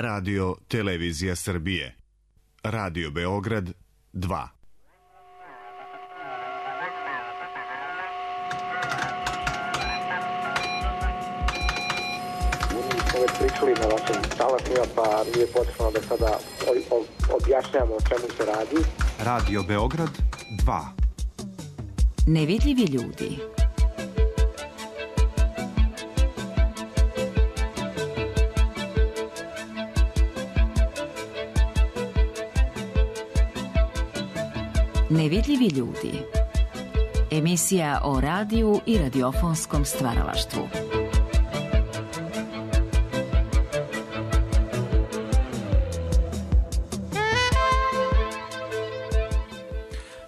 Radio Televizija Srbije. Radio Beograd 2. Smo već pričali na vašim talasima, pa nije potrebno da sada objašnjamo o čemu se radi. Radio Beograd 2. Nevidljivi ljudi. Nevidljivi ljudi. Emisija o radiju i radiofonskom stvaralaštvu.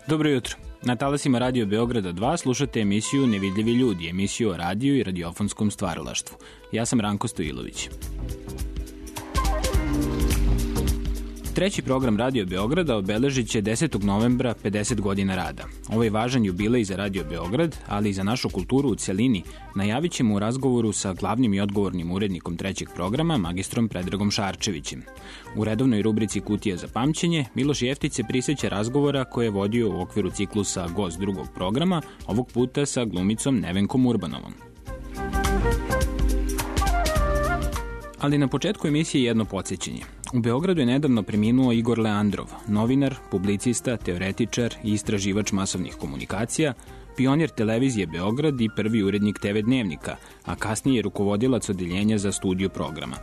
Dobro jutro. Na talasima Radio Beograda 2 slušate emisiju Nevidljivi ljudi, emisiju o radiju i radiofonskom stvaralaštvu. Ja sam Ranko Stojilović. Treći program Radio Beograda obeležit će 10. novembra 50 godina rada. Ovo je važan jubilej za Radio Beograd, ali i za našu kulturu u cjelini. Najavit ćemo u razgovoru sa glavnim i odgovornim urednikom trećeg programa, magistrom Predragom Šarčevićem. U redovnoj rubrici Kutija za pamćenje, Miloš Jeftić se prisjeća razgovora koje je vodio u okviru ciklusa Gost drugog programa, ovog puta sa glumicom Nevenkom Urbanovom. Ali na početku emisije jedno podsjećanje. U Beogradu je nedavno preminuo Igor Leandrov, novinar, publicista, teoretičar i istraživač masovnih komunikacija, pionir televizije Beograd i prvi urednik TV Dnevnika, a kasnije je rukovodilac odeljenja za studiju programa.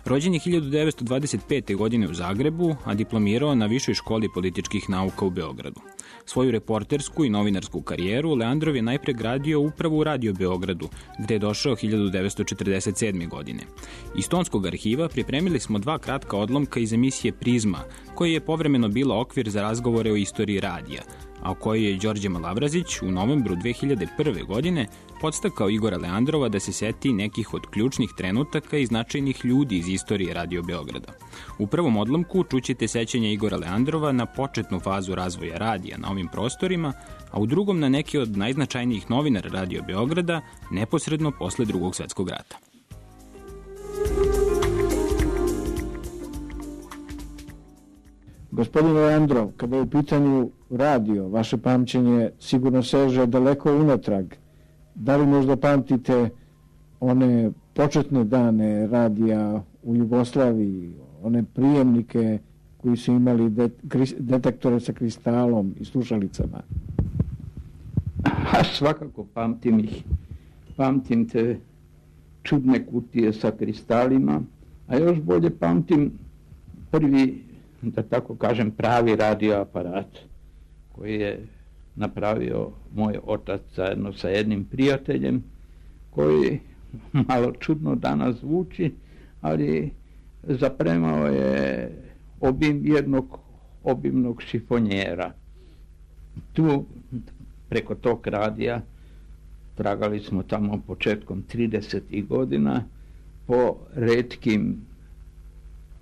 Rođen je 1925. godine u Zagrebu, a diplomirao na Višoj školi političkih nauka u Beogradu. Svoju reportersku i novinarsku karijeru Leandrov je najpre gradio upravo u Radio Beogradu, gde je došao 1947. godine. Iz tonskog arhiva pripremili smo 2 kratka odlomka iz emisije Prizma, koja je povremeno bila okvir za razgovore o istoriji radija, a u kojoj je Đorđe Malavrazić u novembru 2001. godine podstakao Igora Leandrova da se seti nekih od ključnih trenutaka i značajnih ljudi iz istorije Radio Beograda. U prvom odlomku čućete sećanja Igora Leandrova na početnu fazu razvoja radija na ovim prostorima, a u drugom na neke od najznačajnijih novinara Radio Beograda neposredno posle Drugog svjetskog rata. Gospodin Leandrov, kada je u pitanju radio, vaše pamćenje sigurno seže daleko unatrag. Da li možda pamtite one početne dane radija u Jugoslaviji, one prijemnike koji su imali detektore sa kristalom i slušalicama? Svakako pamtim ih. Pamtim te čudne kutije sa kristalima, a još bolje pamtim prvi, da tako kažem, pravi radioaparat koji je napravio moj otac zajedno sa jednim prijateljem, koji malo čudno danas zvuči, ali zapremao je obim jednog obimnog šifonjera. Tu, preko tog radija, tragali smo tamo početkom 30. godina po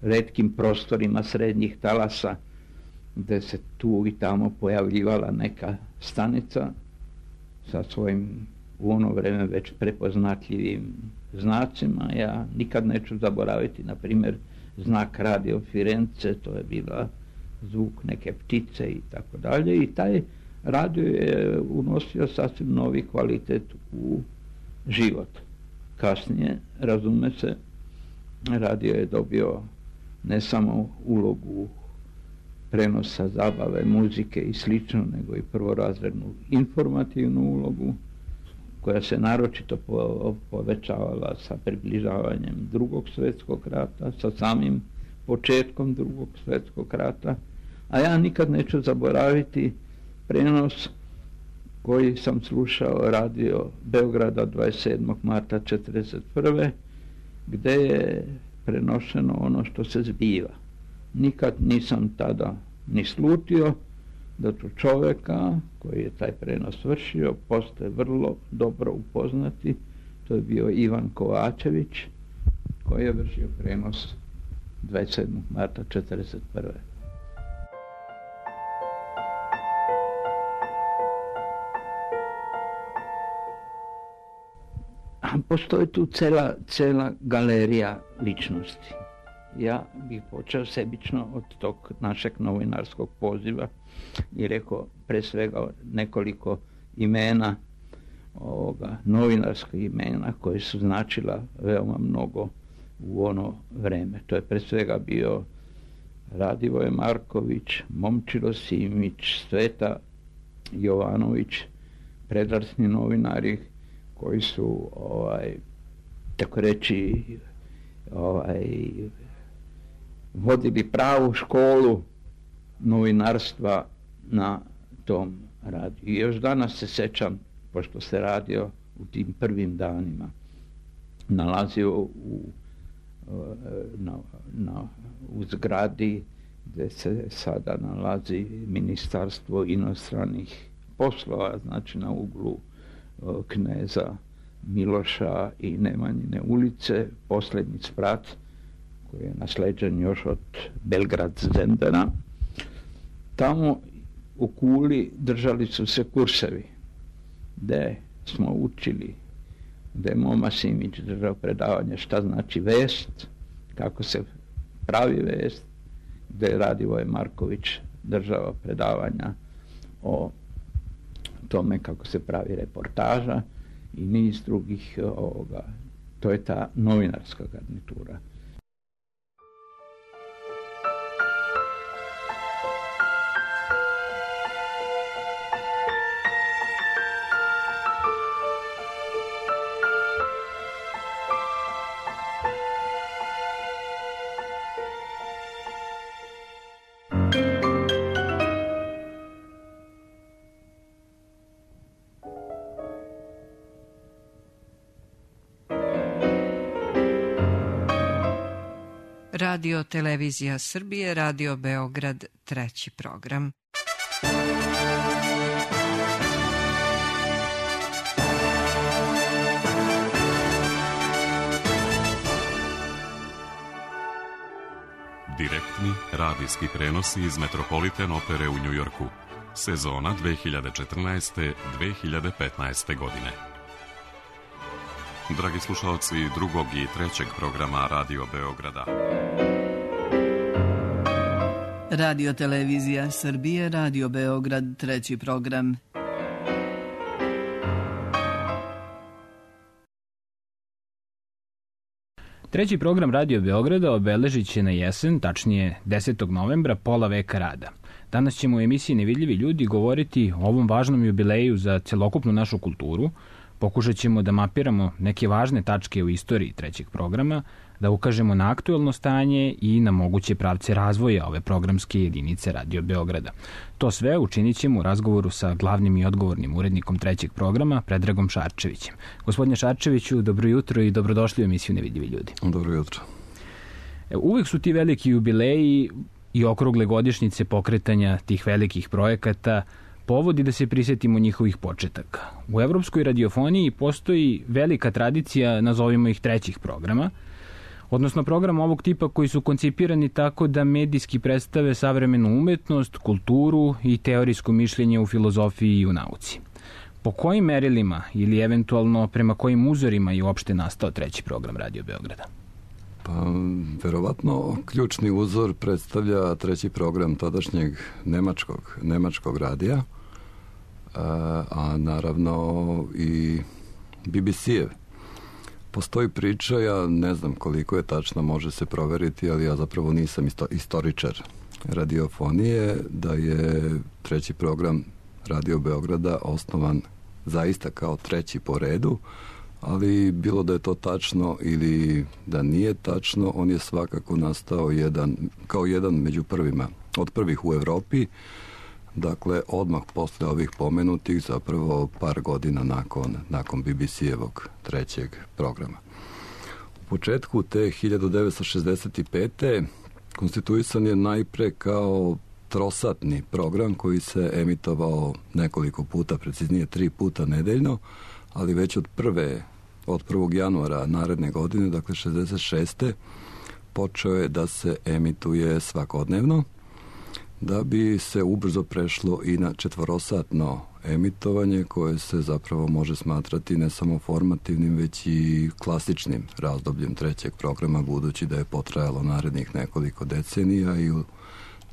retkim prostorima srednjih talasa, gde se tu i tamo pojavljivala neka stanica sa svojim u ono vreme već prepoznatljivim znacima. Ja nikad neću zaboraviti, na primjer, znak Radio Firenze, to je bila zvuk neke ptice i tako dalje, i taj radio je unosio sasvim novi kvalitet u život. Kasnije, razume se, radio je dobio ne samo ulogu prenosa zabave, muzike i slično, nego i prvorazrednu informativnu ulogu, koja se naročito povećavala sa približavanjem Drugog svjetskog rata, sa samim početkom Drugog svjetskog rata. A ja nikad neću zaboraviti prenos koji sam slušao Radio Beograda 27. marta 1941. gde je prenošeno ono što se zbiva. Nikad nisam tada ni slutio da ću čoveka koji je taj prenos vršio postaje vrlo dobro upoznati. To je bio Ivan Kovačević, koji je vršio prenos 27. marta 1941. Postoji tu cela galerija ličnosti. ja bih počeo sebično od tog našeg novinarskog poziva i rekao pre svega nekoliko imena, novinarskih imena koje su značila veoma mnogo u ono vreme. To je pre svega bio Radivoje Marković, Momčilo Simić, Sveta Jovanović, predratni novinari koji su tako reći vodili pravu školu novinarstva na tom radiju. I još danas se sećam, pošto se radio u tim prvim danima, nalazio u zgradi gde se sada nalazi Ministarstvo inostranih poslova, znači na uglu Kneza Miloša i Nemanjine ulice, posljednji sprat koji je nasleđen još od Belgrad Zendana. Tamo u Kuli držali su se kursevi gde smo učili, gde je Moma Simić držao predavanje šta znači vest, kako se pravi vest, gde je Radivoje Marković držao predavanja o tome kako se pravi reportaža i niz drugih to je ta novinarska garnitura. Radio Televizija Srbije, Radio Beograd, 3. program. Direktni radijski prenosi iz Metropolitan opere u Njujorku. Sezona 2014-2015. godine. Dragi slušalci drugog i trećeg programa Radio Beograda. Radio Televizija Srbije, Radio Beograd, 3. program. Treći program Radio Beograda obeležit će na jesen, tačnije 10. novembra, pola veka rada. Danas ćemo u emisiji Nevidljivi ljudi govoriti o ovom važnom jubileju za celokupnu našu kulturu. Pokušat ćemo da mapiramo neke važne tačke u istoriji trećeg programa, da ukažemo na aktuelno stanje i na moguće pravce razvoja ove programske jedinice Radio Beograda. To sve učinit ćemo u razgovoru sa glavnim i odgovornim urednikom trećeg programa, Predragom Šarčevićem. Gospodine Šarčeviću, dobro jutro i dobrodošli u emisiju Nevidljivi ljudi. Dobro jutro. Uvek su ti veliki jubileji i okrugle godišnjice pokretanja tih velikih projekata povodi da se prisjetimo njihovih početaka. U evropskoj radiofoniji postoji velika tradicija, nazovimo ih trećih programa, odnosno programa ovog tipa koji su koncipirani tako da medijski predstave savremenu umetnost, kulturu i teorijsko mišljenje u filozofiji i u nauci. Po kojim merilima ili eventualno prema kojim uzorima je uopšte nastao treći program Radio Beograda? Pa, verovatno, ključni uzor predstavlja treći program tadašnjeg nemačkog radija, a naravno i BBC-ev. Postoji priča, ja ne znam koliko je tačno, može se proveriti, ali ja zapravo nisam istoričar radiofonije, da je treći program Radio Beograda osnovan zaista kao treći po redu, ali bilo da je to tačno ili da nije tačno, on je svakako nastao kao jedan među prvima, od prvih u Evropi, dakle odmah posle ovih pomenutih, zapravo par godina nakon BBC-evog trećeg programa. U početku te 1965. konstituisan je najpre kao trosatni program koji se emitovao nekoliko puta, preciznije 3 puta nedeljno, ali već od 1. januara naredne godine, dakle 66. počeo je da se emituje svakodnevno, da bi se ubrzo prešlo i na četvorosatno emitovanje koje se zapravo može smatrati ne samo formativnim, već i klasičnim razdobljem trećeg programa, budući da je potrajalo narednih nekoliko decenija i u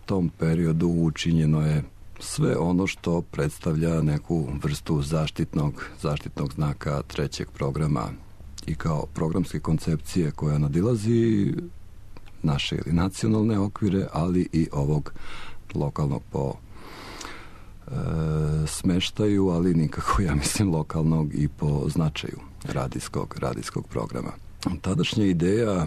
tom periodu učinjeno je sve ono što predstavlja neku vrstu zaštitnog znaka trećeg programa i kao programske koncepcije koja nadilazi naše ili nacionalne okvire, ali i ovog lokalnog po smeštaju, ali nikako, ja mislim, lokalnog i po značaju radijskog programa. Tadašnja ideja,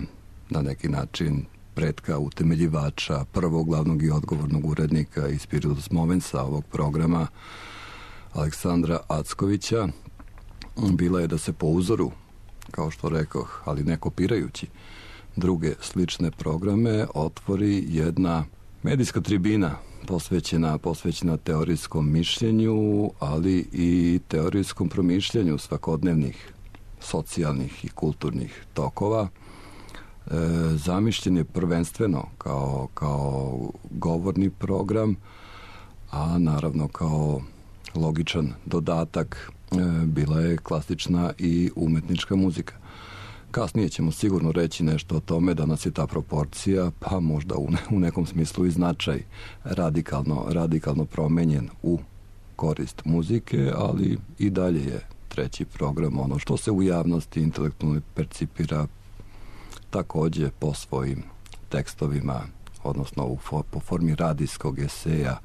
na neki način pretka, utemeljivača, prvog glavnog i odgovornog urednika i spiritus momensa ovog programa, Aleksandra Ackovića, bila je da se po uzoru, kao što rekoh, ali ne kopirajući druge slične programe, otvori jedna medijska tribina posvećena teorijskom mišljenju, ali i teorijskom promišljanju svakodnevnih socijalnih i kulturnih tokova. Zamišljen je prvenstveno kao govorni program, a naravno kao logičan dodatak bila je klasična i umetnička muzika. Kasnije ćemo sigurno reći nešto o tome da nas je ta proporcija, pa možda u nekom smislu i značaj radikalno promenjen u korist muzike, ali i dalje je treći program ono što se u javnosti intelektualno percipira takođe po svojim tekstovima, odnosno po formi radijskog eseja,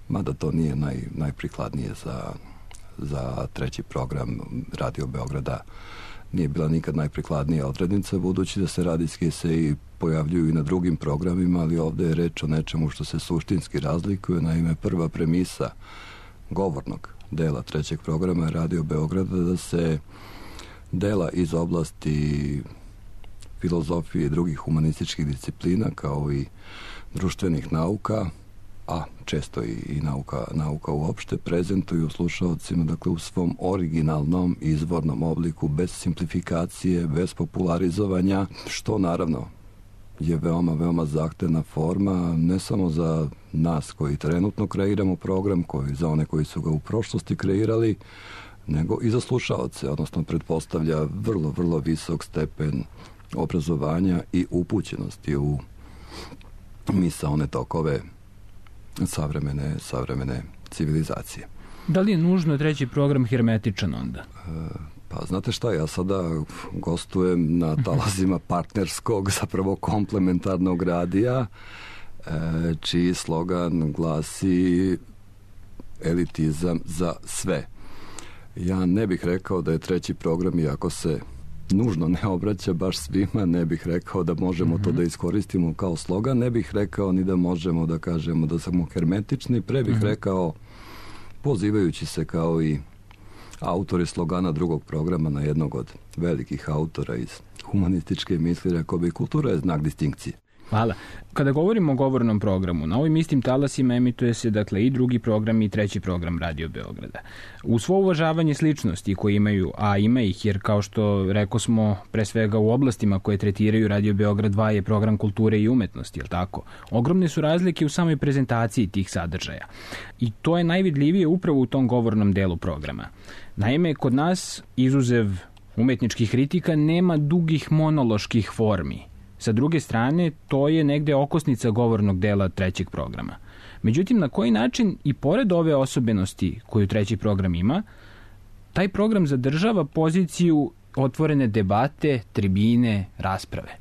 mada to nije najprikladnije za treći program Radio Beograda. Nije bila nikad najprikladnija odrednica, budući da se radijski eseji pojavljuju i na drugim programima, ali ovde je reč o nečemu što se suštinski razlikuje. Naime, prva premisa govornog dela trećeg programa Radio Beograda da se dela iz oblasti filozofije i drugih humanističkih disciplina, kao i društvenih nauka, a često i nauka uopšte, prezentuju slušalcima, dakle, u svom originalnom izvornom obliku, bez simplifikacije, bez popularizovanja, što naravno je veoma zahtevna forma, ne samo za nas koji trenutno kreiramo program, koji za one koji su ga u prošlosti kreirali, nego i za slušalce, odnosno pretpostavlja vrlo visok stepen obrazovanja i upućenosti u misaone tokove savremene civilizacije. Da li je nužno treći program hermetičan onda? Pa znate šta, ja sada gostujem na talazima partnerskog, zapravo komplementarnog radija, čiji slogan glasi elitizam za sve. Ja ne bih rekao da je treći program, iako se nužno ne obraća baš svima, ne bih rekao da možemo to da iskoristimo kao slogan, ne bih rekao ni da možemo da kažemo da smo hermetični, pre bih rekao, pozivajući se kao i autori slogana drugog programa na jednog od velikih autora iz humanističke misli, rekao bi, kultura je znak distinkcije. Hvala. Kada govorimo o govornom programu, na ovim istim talasima emituje se, dakle, i drugi program i treći program Radio Beograda. U svo uvažavanje sličnosti koje imaju, a ima ih, jer kao što rekao smo, pre svega u oblastima koje tretiraju Radio Beograd 2 je program kulture i umetnosti, je li tako? Ogromne su razlike u samoj prezentaciji tih sadržaja. I to je najvidljivije upravo u tom govornom delu programa. Naime, kod nas, izuzev umetničkih kritika, nema dugih monoloških formi. Sa druge strane, to je negde okosnica govornog dela trećeg programa. Međutim, na koji način i pored ove osobenosti koju treći program ima, taj program zadržava poziciju otvorene debate, tribine, rasprave?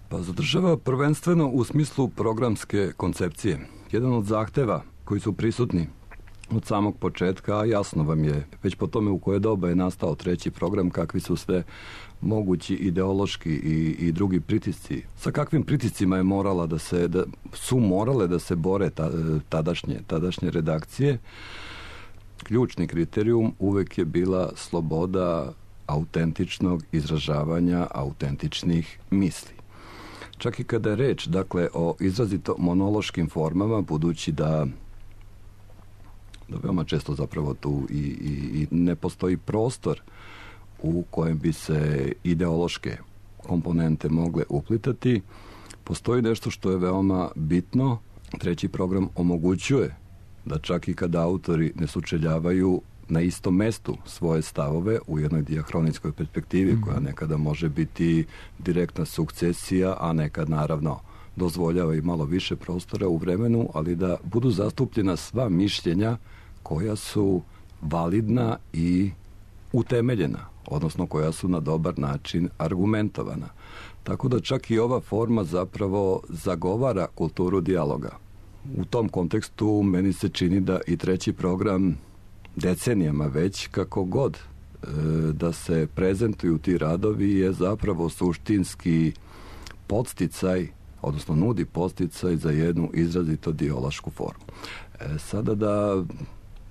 Pa zadržava prvenstveno u smislu programske koncepcije. Jedan od zahteva koji su prisutni od samog početka, a jasno vam je već po tome u koje doba je nastao treći program, kakvi su sve mogući ideološki i drugi pritisci. Sa kakvim pritiscima je su morale da se bore tadašnje redakcije. Ključni kriterijum uvek je bila sloboda autentičnog izražavanja autentičnih misli. Čak i kada je reč, dakle, o izrazito monološkim formama, budući da veoma često zapravo tu i ne postoji prostor u kojem bi se ideološke komponente mogle uplitati, postoji nešto što je veoma bitno. Treći program omogućuje da čak i kada autori ne sučeljavaju, na istom mestu svoje stavove u jednoj dijahronijskoj perspektivi koja nekada može biti direktna sukcesija, a nekad naravno dozvoljava i malo više prostora u vremenu, ali da budu zastupljena sva mišljenja koja su validna i utemeljena, odnosno koja su na dobar način argumentovana. Tako da čak i ova forma zapravo zagovara kulturu dijaloga. U tom kontekstu meni se čini da i treći program decenijama već, kako god da se prezentuju ti radovi, je zapravo suštinski podsticaj, odnosno nudi podsticaj za jednu izrazito dijalošku formu. Sada da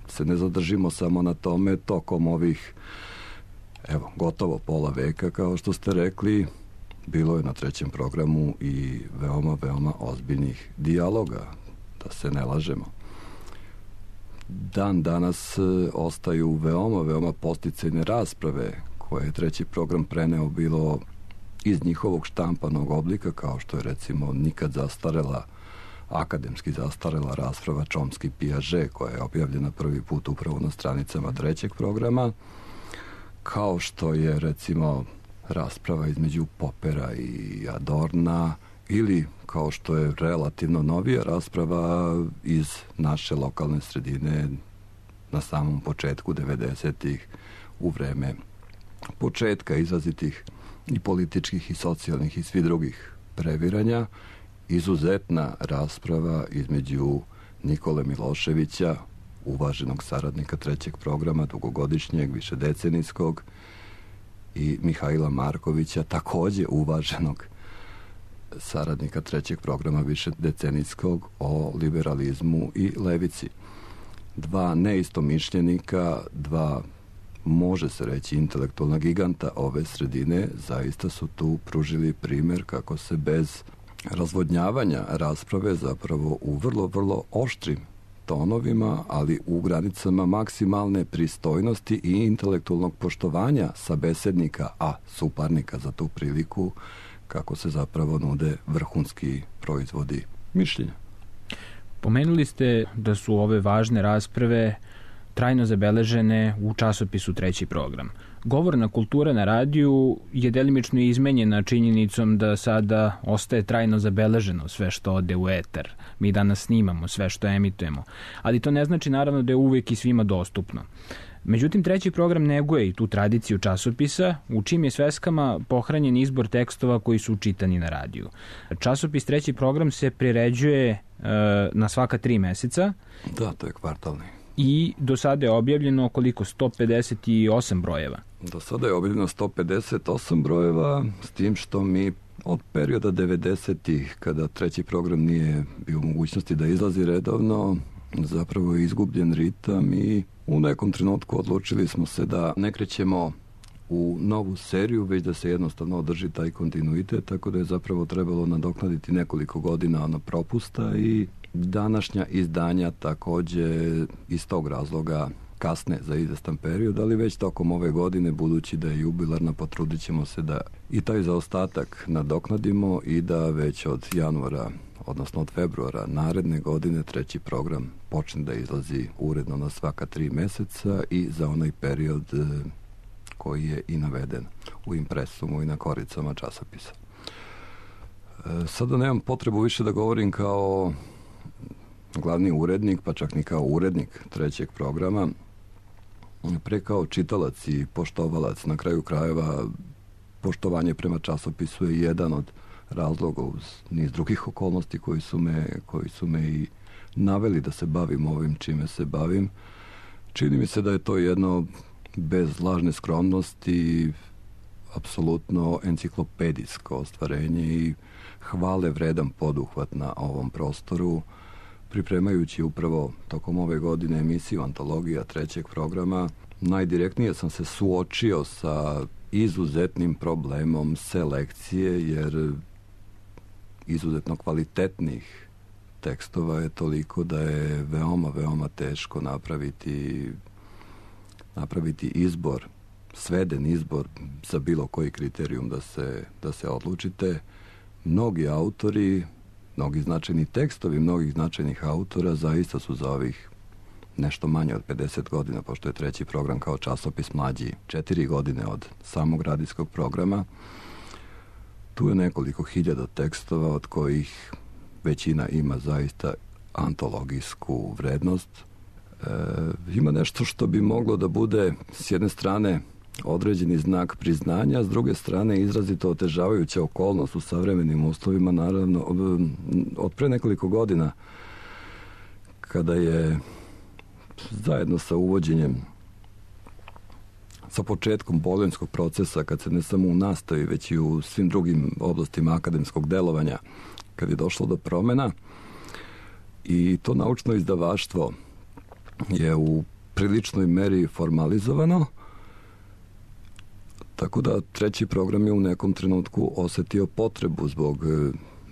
se ne zadržimo samo na tome, tokom ovih gotovo pola veka, kao što ste rekli, bilo je na trećem programu i veoma, veoma ozbiljnih dijaloga, da se ne lažemo. Dan danas ostaju veoma, veoma podsticajne rasprave koje je treći program preneo bilo iz njihovog štampanog oblika, kao što je recimo nikad zastarela, akademski zastarela rasprava Chomsky-Piaget, koja je objavljena prvi put upravo na stranicama trećeg programa, kao što je recimo rasprava između Popera i Adorna, ili kao što je relativno novija rasprava iz naše lokalne sredine na samom početku 90-ih, u vreme početka izrazitih i političkih i socijalnih i svih drugih previranja, izuzetna rasprava između Nikole Miloševića, uvaženog saradnika trećeg programa, dugogodišnjeg, višedecenijskog, i Mihajla Markovića, takođe uvaženog saradnika trećeg programa višedecenijskog, o liberalizmu i levici. Dva neistomišljenika, dva, može se reći, intelektualna giganta ove sredine, zaista su tu pružili primer kako se bez razvodnjavanja rasprave zapravo u vrlo, vrlo oštrim tonovima, ali u granicama maksimalne pristojnosti i intelektualnog poštovanja sabesednika, a suparnika za tu priliku, kako se zapravo nude vrhunski proizvodi mišljenja. Pomenuli ste da su ove važne rasprave trajno zabeležene u časopisu treći program. Govorna kultura na radiju je delimično izmenjena činjenicom da sada ostaje trajno zabeleženo sve što ode u eter. Mi danas snimamo sve što emitujemo, ali to ne znači naravno da je uvek i svima dostupno. Međutim, treći program neguje i tu tradiciju časopisa, u čim je sveskama pohranjen izbor tekstova koji su čitani na radiju. Časopis treći program se priređuje na svaka 3 meseca. Da, to je kvartalni. I do sada je objavljeno koliko? 158 brojeva. Do sada je objavljeno 158 brojeva, s tim što mi od perioda 90-ih, kada treći program nije bio u mogućnosti da izlazi redovno, zapravo je izgubljen ritam i u nekom trenutku odlučili smo se da ne krećemo u novu seriju, već da se jednostavno održi taj kontinuitet, tako da je zapravo trebalo nadoknaditi nekoliko godina propusta i današnja izdanja takođe iz tog razloga kasne za izvestan period, ali već tokom ove godine, budući da je jubilarna, potrudit ćemo se da i taj zaostatak nadoknadimo i da već od januara, odnosno od februara naredne godine, treći program počne da izlazi uredno na svaka 3 meseca i za onaj period koji je i naveden u impresumu i na koricama časopisa. Sada nemam potrebu više da govorim kao glavni urednik, pa čak ni kao urednik trećeg programa, pre kao čitalac i poštovalac. Na kraju krajeva, poštovanje prema časopisu je jedan od razloga uz niz drugih okolnosti koji su me i naveli da se bavim ovim čime se bavim. Čini mi se da je to jedno, bez lažne skromnosti, apsolutno enciklopedijsko ostvarenje i hvale vredan poduhvat na ovom prostoru. Pripremajući upravo tokom ove godine emisiju Antologija trećeg programa, najdirektnije sam se suočio sa izuzetnim problemom selekcije, jer izuzetno kvalitetnih tekstova je toliko da je veoma, veoma teško napraviti izbor, sveden izbor za bilo koji kriterijum da se odlučite. Mnogi autori, mnogi značajni tekstovi mnogih značajnih autora zaista su za ovih nešto manje od 50 godina, pošto je treći program kao časopis mlađi 4 godine od samog radijskog programa. Tu je nekoliko hiljada tekstova, od kojih većina ima zaista antologijsku vrednost. Ima nešto što bi moglo da bude s jedne strane određeni znak priznanja, s druge strane izrazito otežavajuća okolnost u savremenim uslovima, naravno od pre nekoliko godina, kada je zajedno sa uvođenjem, sa početkom bolonjskog procesa, kad se ne samo u nastavi, već i u svim drugim oblastima akademskog delovanja, kad je došlo do promena, i to naučno izdavaštvo je u priličnoj meri formalizovano, tako da treći program je u nekom trenutku osetio potrebu zbog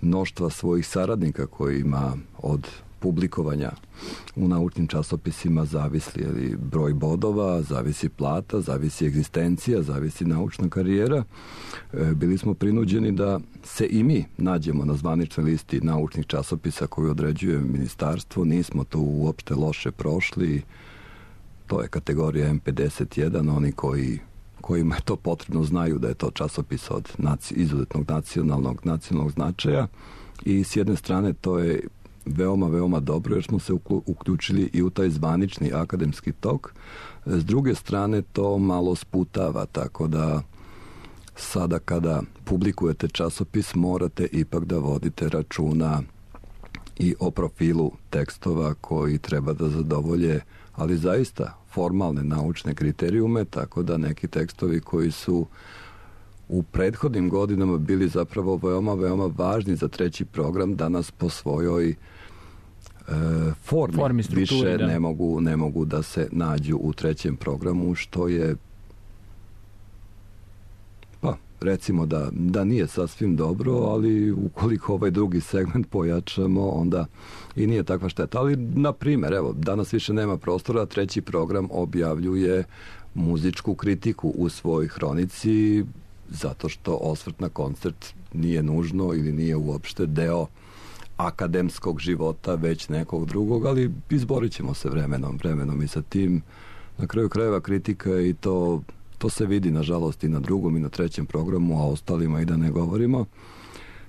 mnoštva svojih saradnika koji ima od publikovanja u naučnim časopisima zavisi broj bodova, zavisi plata, zavisi egzistencija, zavisi naučna karijera. Bili smo prinuđeni da se i mi nađemo na zvaničnoj listi naučnih časopisa koju određuje ministarstvo. Nismo to uopšte loše prošli. To je kategorija M51. Oni kojima je to potrebno znaju da je to časopis od izuzetnog nacionalnog značaja, i s jedne strane to je veoma, veoma dobro jer smo se uključili i u taj zvanični akademski tok. S druge strane to malo sputava, tako da sada kada publikujete časopis morate ipak da vodite računa i o profilu tekstova koji treba da zadovolje, ali zaista formalne naučne kriterijume, tako da neki tekstovi koji su u prethodnim godinama bili zapravo veoma, veoma važni za treći program, danas po svojoj formi više ne mogu da se nađu u trećem programu, što je, pa recimo da nije sasvim dobro, ali ukoliko ovaj drugi segment pojačamo, onda i nije takva šteta. Ali, na primjer, evo, danas više nema prostora, treći program objavljuje muzičku kritiku u svojoj hronici, zato što osvrt na koncert nije nužno ili nije uopšte deo akademskog života, već nekog drugog, ali izborit ćemo se vremenom i sa tim. Na kraju krajeva kritika, i to se vidi nažalost i na drugom i na trećem programu, a ostalima i da ne govorimo.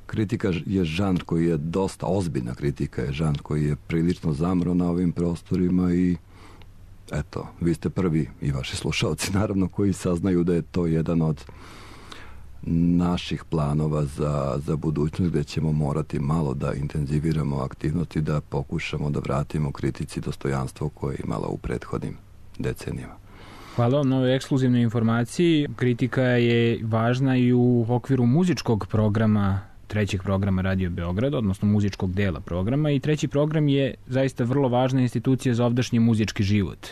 Kritika je žanr koji je dosta, ozbiljna kritika je žanr koji je prilično zamro na ovim prostorima, i eto, vi ste prvi i vaši slušalci naravno koji saznaju da je to jedan od naših planova za budućnost, gde ćemo morati malo da intenziviramo aktivnosti, da pokušamo da vratimo kritici dostojanstvo koje je imala u prethodnim decenijama. Hvala vam na ovoj ekskluzivnoj informaciji. Kritika je važna i u okviru muzičkog programa, trećeg programa Radio Beograd, odnosno muzičkog dela programa, i treći program je zaista vrlo važna institucija za ovdašnji muzički život.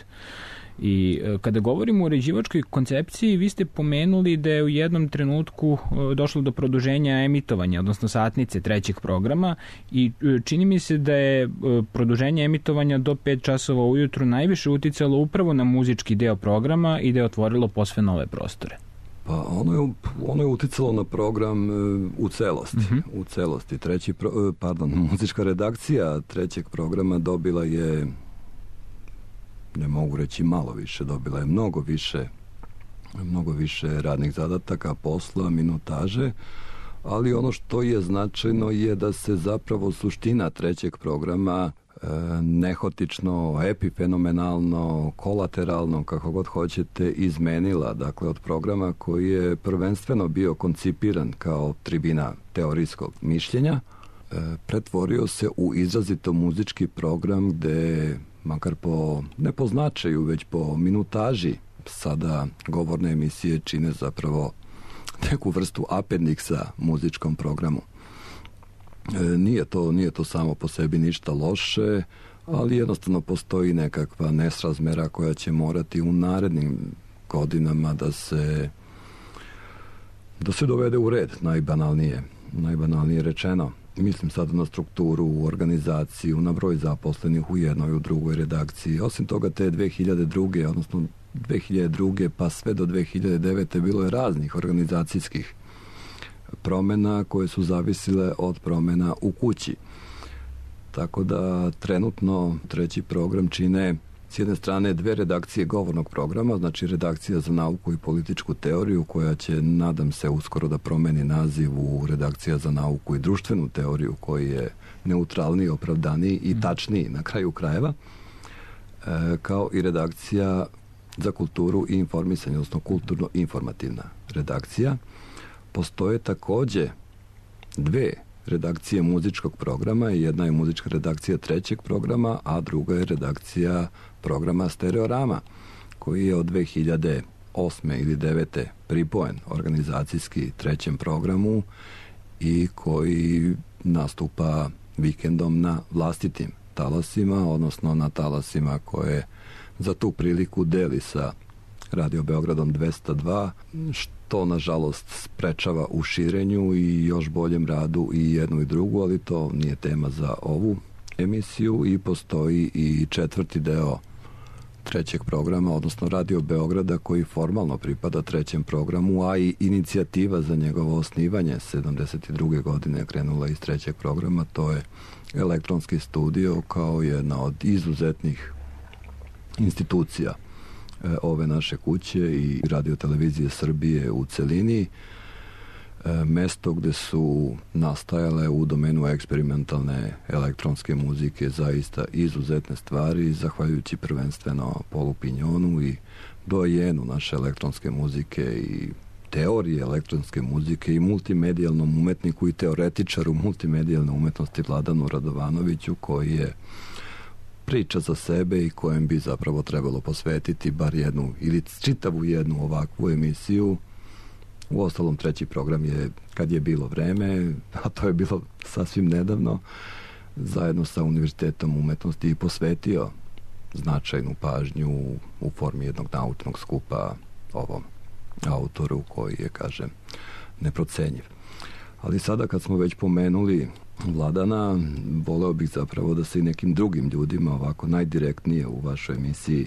I kada govorimo o uređivačkoj koncepciji, vi ste pomenuli da je u jednom trenutku došlo do produženja emitovanja, odnosno satnice trećeg programa, i čini mi se da je produženje emitovanja do 5 časova ujutru najviše uticalo upravo na muzički deo programa i da je otvorilo posve nove prostore. Pa ono je uticalo na program u celosti. U celosti. Muzička redakcija trećeg programa dobila je, ne mogu reći malo više, dobila je mnogo više radnih zadataka, posla, minutaže, ali ono što je značajno je da se zapravo suština trećeg programa nehotično, epifenomenalno, kolateralno, kako god hoćete, izmenila. Dakle, od programa koji je prvenstveno bio koncipiran kao tribina teorijskog mišljenja, pretvorio se u izrazito muzički program gde, makar ne po značaju, već po minutaži, sada govorne emisije čine zapravo neku vrstu apendiksa muzičkom programu. Nije to samo po sebi ništa loše, ali jednostavno postoji nekakva nesrazmera koja će morati u narednim godinama da se dovede u red, najbanalnije rečeno. Mislim sad na strukturu, u organizaciju, na broj zaposlenih u jednoj, u drugoj redakciji. Osim toga, te 2002. odnosno 2002. pa sve do 2009. bilo je raznih organizacijskih promena koje su zavisile od promena u kući. Tako da trenutno treći program čine s jedne strane 2 redakcije govornog programa, znači redakcija za nauku i političku teoriju koja će, nadam se, uskoro da promeni naziv u redakcija za nauku i društvenu teoriju koji je neutralniji, opravdaniji i tačniji na kraju krajeva, kao i redakcija za kulturu i informisanje, odnosno kulturno-informativna redakcija. Postoje takođe 2 redakcije muzičkog programa, jedna je muzička redakcija 3. programa, a druga je redakcija programa Stereorama, koji je od 2008. ili 2009. pripojen organizacijski 3. programu i koji nastupa vikendom na vlastitim talasima, odnosno na talasima koje za tu priliku deli sa Radio Beogradom 202, što nažalost sprečava u širenju i još boljem radu i jednu i drugu, ali to nije tema za ovu emisiju. I postoji i 4. deo 3. programa, odnosno Radio Beograda, koji formalno pripada 3. programu, a i inicijativa za njegovo osnivanje 72. godine krenula iz 3. programa. To je elektronski studio kao jedna od izuzetnih institucija ove naše kuće i Radio Televizije Srbije u celini, mesto gde su nastajale u domenu eksperimentalne elektronske muzike zaista izuzetne stvari, zahvaljujući prvenstveno Polu Pinjonu i dojenu naše elektronske muzike i teorije elektronske muzike i multimedijalnom umetniku i teoretičaru multimedijalne umetnosti Vladanu Radovanoviću, koji je priča za sebe i kojem bi zapravo trebalo posvetiti bar jednu ili čitavu jednu ovakvu emisiju. U ostalom 3. program je, kad je bilo vreme, a to je bilo sasvim nedavno, zajedno sa Univerzitetom umetnosti i posvetio značajnu pažnju u formi jednog naučnog skupa ovom autoru koji je, kažem, neprocenjiv. Ali sada kad smo već pomenuli Vladana, voleo bih zapravo da se i nekim drugim ljudima ovako najdirektnije u vašoj emisiji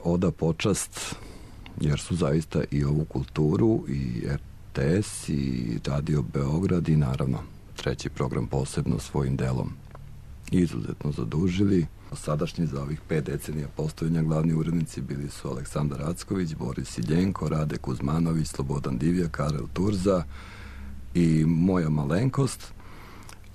oda počast, jer su zaista i ovu kulturu i RTS i Radio Beograd i naravno 3. program posebno svojim delom izuzetno zadužili. Sadašnji za ovih 5 decenija postojanja glavni urednici bili su Aleksandar Acković, Boris Iljenko, Rade Kuzmanović, Slobodan Divjak, Karel Turza i moja malenkost,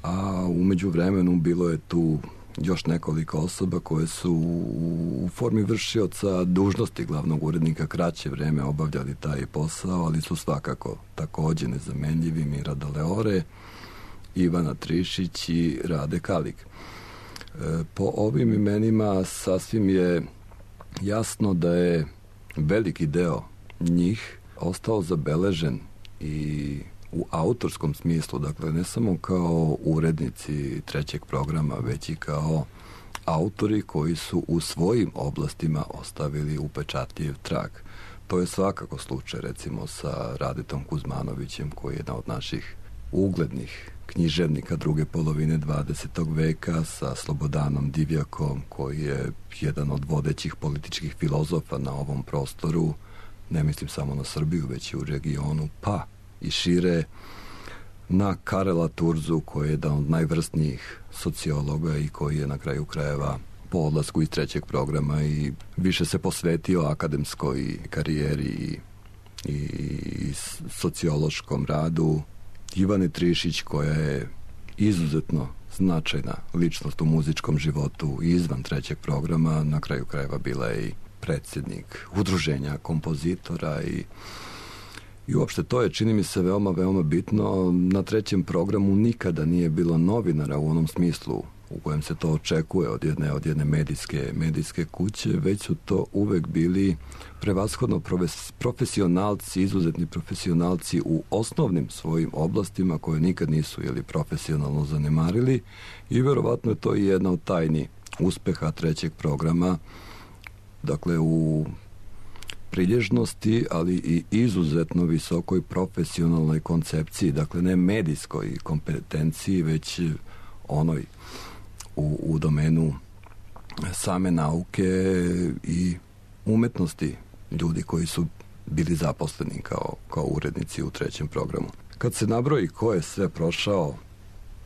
a umeđu vremenu bilo je tu još nekoliko osoba koje su u formi vršioca dužnosti glavnog urednika kraće vreme obavljali taj posao, ali su svakako takođe nezamenljivi: Mirada Leore, Ivana Trišić i Rade Kalik. Po ovim imenima sasvim je jasno da je veliki deo njih ostao zabeležen i u autorskom smislu, dakle ne samo kao urednici 3. programa, već i kao autori koji su u svojim oblastima ostavili upečatljiv trag. To je svakako slučaj recimo sa Radetom Kuzmanovićem, koji je jedan od naših uglednih književnika druge polovine 20. veka, sa Slobodanom Divjakom, koji je jedan od vodećih političkih filozofa na ovom prostoru, ne mislim samo na Srbiju, već i u regionu, pa i šire, na Karela Turzu, koji je jedan od najvrsnijih sociologa i koji je na kraju krajeva po odlasku iz 3. programa i više se posvetio akademskoj karijeri i sociološkom radu. Ivane Trišić, koja je izuzetno značajna ličnost u muzičkom životu i izvan 3. programa, na kraju krajeva bila je i predsjednik udruženja kompozitora i uopšte to je, čini mi se, veoma, veoma bitno. Na 3. programu nikada nije bilo novinara u onom smislu u kojem se to očekuje od jedne medijske kuće, već su to uvek bili prevashodno profesionalci, izuzetni profesionalci u osnovnim svojim oblastima koje nikad nisu profesionalno zanemarili, i verovatno je to i jedna od tajni uspeha 3. programa, dakle u prilježnosti, ali i izuzetno visokoj profesionalnoj koncepciji, dakle ne medijskoj kompetenciji, već onoj u domenu same nauke i umetnosti ljudi koji su bili zaposleni kao urednici u 3. programu. Kad se nabroji ko je sve prošao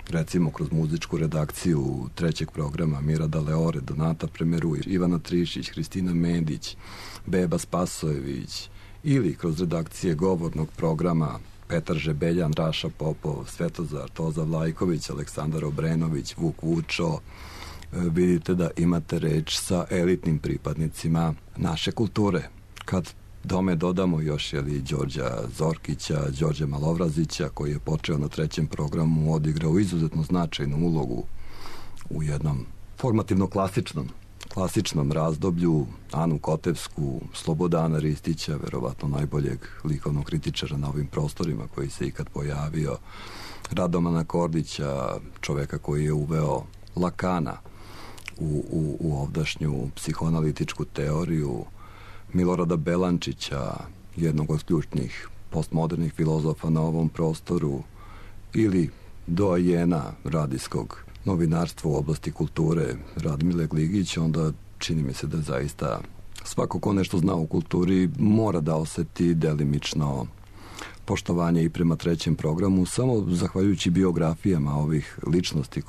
recimo kroz muzičku redakciju trećeg programa Mira Daleore, Donata Premeruj, Ivana Trišić, Hristina Medić, Beba Spasojević, ili kroz redakcije govornog programa Petar Žebeljan, Raša Popov, Svetozar Toza Vlajković, Aleksandar Obrenović, Vuk Vučo, vidite da imate reč sa elitnim pripadnicima naše kulture. Kad tome dodamo još Đorđa Zorkića, Đorđa Malovrazića, koji je počeo na trećem programu, odigrao izuzetno značajnu ulogu u jednom formativno klasičnom razdoblju, Anu Kotevsku, Slobodana Ristića, verovatno najboljeg likovnog kritičara na ovim prostorima koji se ikad pojavio, Radomana Kordića, čoveka koji je uveo Lakana u ovdašnju psihoanalitičku teoriju, Milorada Belančića, jednog od ključnih postmodernih filozofa na ovom prostoru, ili doajena radijskog novinarstva u oblasti kulture Radmile Gligić, onda čini mi se da zaista svako ko nešto zna u kulturi mora da oseti delimično poštovanje i prema trećem programu, samo zahvaljujući biografijama ovih ličnosti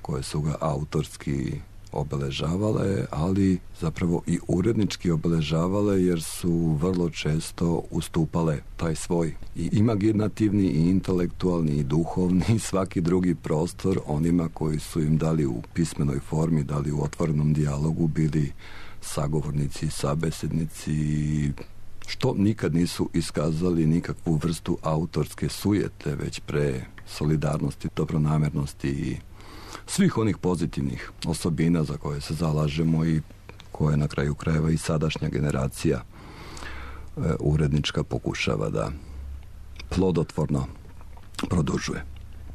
koje su ga autorski obeležavale, ali zapravo i urednički obeležavale, jer su vrlo često ustupale taj svoj i imaginativni i intelektualni i duhovni i svaki drugi prostor onima koji su im dali u pismenoj formi, dali u otvorenom dijalogu, bili sagovornici, sabesednici, što nikad nisu iskazali nikakvu vrstu autorske sujete, već pre solidarnosti, dobronamernosti i svih onih pozitivnih osobina za koje se zalažemo i koje na kraju krajeva i sadašnja generacija urednička pokušava da plodotvorno produžuje.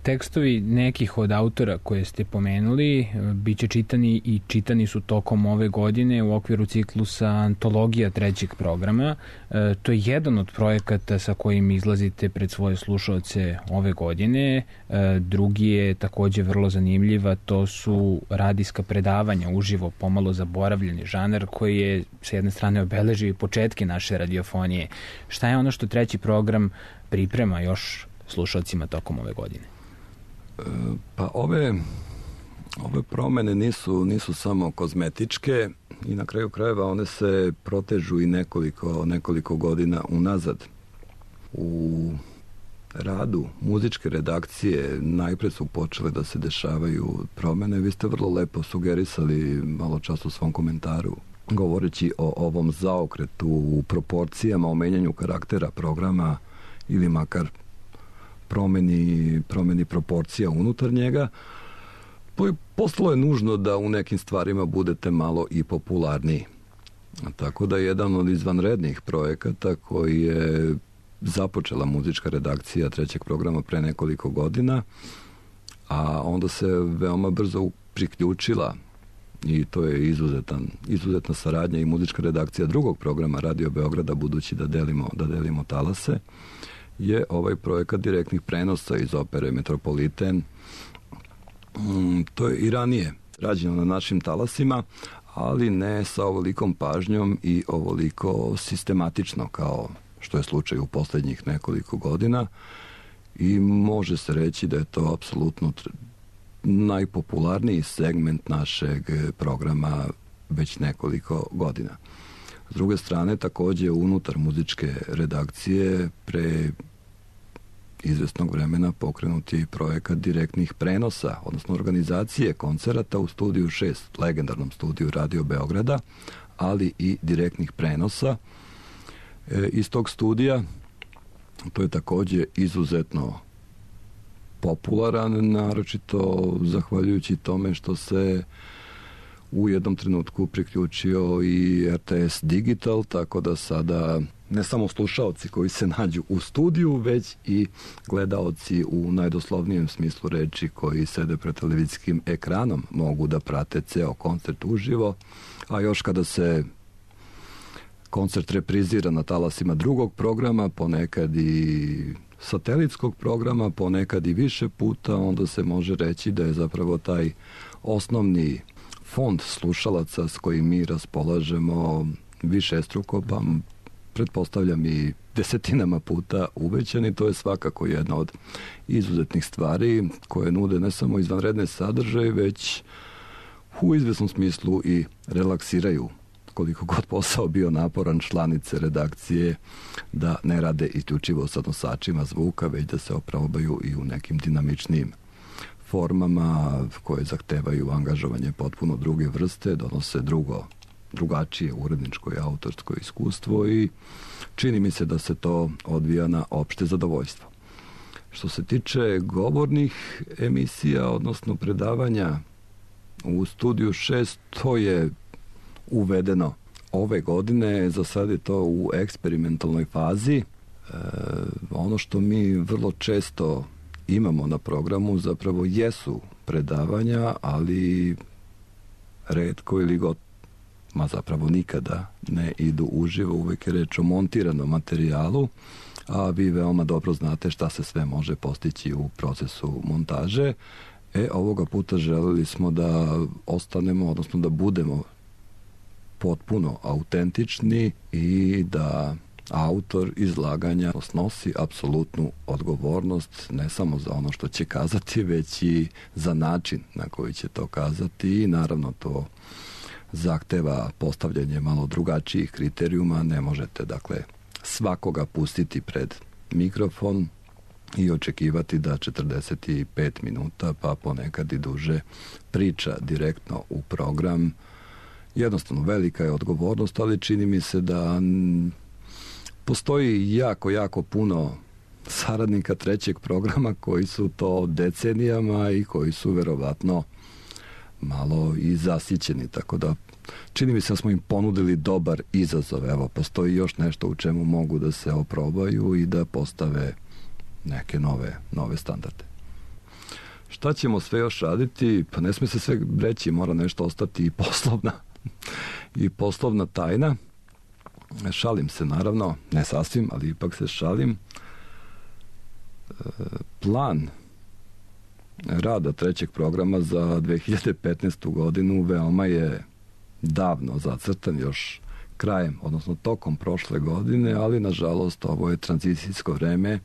Tekstovi nekih od autora koje ste pomenuli biće čitani i čitani su tokom ove godine u okviru ciklusa Antologija trećeg programa. To je jedan od projekata sa kojim izlazite pred svoje slušaoce ove godine. Drugi je takođe vrlo zanimljiva, to su radijska predavanja, uživo, pomalo zaboravljeni žanar koji je sa jedne strane obeležio i početke naše radiofonije. Šta je ono što treći program priprema još slušaocima tokom ove godine? Pa ove promene nisu samo kozmetičke i na kraju krajeva one se protežu i nekoliko godina unazad. U radu muzičke redakcije najpre su počele da se dešavaju promene. Vi ste vrlo lepo sugerisali malo čas u svom komentaru, govoreći o ovom zaokretu u proporcijama, o menjanju karaktera programa ili makar promeni proporcija unutar njega. Postalo je nužno da u nekim stvarima budete malo i popularniji. Tako da jedan od izvanrednih projekata koji je započela muzička redakcija trećeg programa pre nekoliko godina, a onda se veoma brzo priključila, i to je izuzetna saradnja i muzička redakcija drugog programa Radio Beograda, budući da delimo talase, je ovaj projekat direktnih prenosa iz opere Metropoliten. To je i ranije rađeno na našim talasima, ali ne sa ovolikom pažnjom i ovoliko sistematično kao što je slučaj u poslednjih nekoliko godina, i može se reći da je to apsolutno najpopularniji segment našeg programa već nekoliko godina. S druge strane, takođe unutar muzičke redakcije pre izvesnog vremena pokrenut je i projekat direktnih prenosa, odnosno organizacije koncerata u Studiju 6, legendarnom studiju Radio Beograda, ali i direktnih prenosa iz tog studija. To je takođe izuzetno popularan, naročito zahvaljujući tome što se u jednom trenutku priključio i RTS Digital, tako da sada ne samo slušaoci koji se nađu u studiju, već i gledaoci u najdoslovnijem smislu reči koji sede pred televizijskim ekranom mogu da prate ceo koncert uživo, a još kada se koncert reprizira na talasima drugog programa, ponekad i satelitskog programa, ponekad i više puta, onda se može reći da je zapravo taj osnovni fond slušalaca s kojim mi raspolažemo višestruko, pa pretpostavljam i desetinama puta uvećan i to je svakako jedna od izuzetnih stvari koje nude ne samo izvanredne sadržaje, već u izvesnom smislu i relaksiraju, koliko god posao bio naporan, članice redakcije da ne rade isključivo sa nosačima zvuka, već da se oprobaju i u nekim dinamičnijim formama koje zahtevaju angažovanje potpuno druge vrste, donose drugačije uredničko i autorsko iskustvo i čini mi se da se to odvija na opšte zadovoljstvo. Što se tiče govornih emisija, odnosno predavanja u Studiju 6, to je uvedeno ove godine, za sad je to u eksperimentalnoj fazi. Ono što mi vrlo često imamo na programu zapravo jesu predavanja, ali retko ili zapravo nikada ne idu uživo, uvek je reč o montiranom materijalu, a vi veoma dobro znate šta se sve može postići u procesu montaže. Ovoga puta želeli smo da ostanemo, odnosno da budemo potpuno autentični i da autor izlaganja snosi apsolutnu odgovornost ne samo za ono što će kazati, već i za način na koji će to kazati i naravno to zahteva postavljanje malo drugačijih kriterijuma. Ne možete dakle svakoga pustiti pred mikrofon i očekivati da 45 minuta pa ponekad i duže priča direktno u program. Jednostavno velika je odgovornost, ali čini mi se da postoji jako puno saradnika trećeg programa koji su to decenijama i koji su verovatno malo i zasićeni, tako da čini mi se da smo im ponudili dobar izazov. Evo, postoji još nešto u čemu mogu da se oprobaju i da postave neke nove standarde. Šta ćemo sve još raditi? Pa ne sme se sve reći, mora nešto ostati i poslovna tajna. Šalim se naravno, ne sasvim, ali ipak se šalim. Plan rada trećeg programa za 2015. godinu veoma je davno zacrtan, još krajem, odnosno tokom prošle godine, ali nažalost ovo je tranzicijsko vreme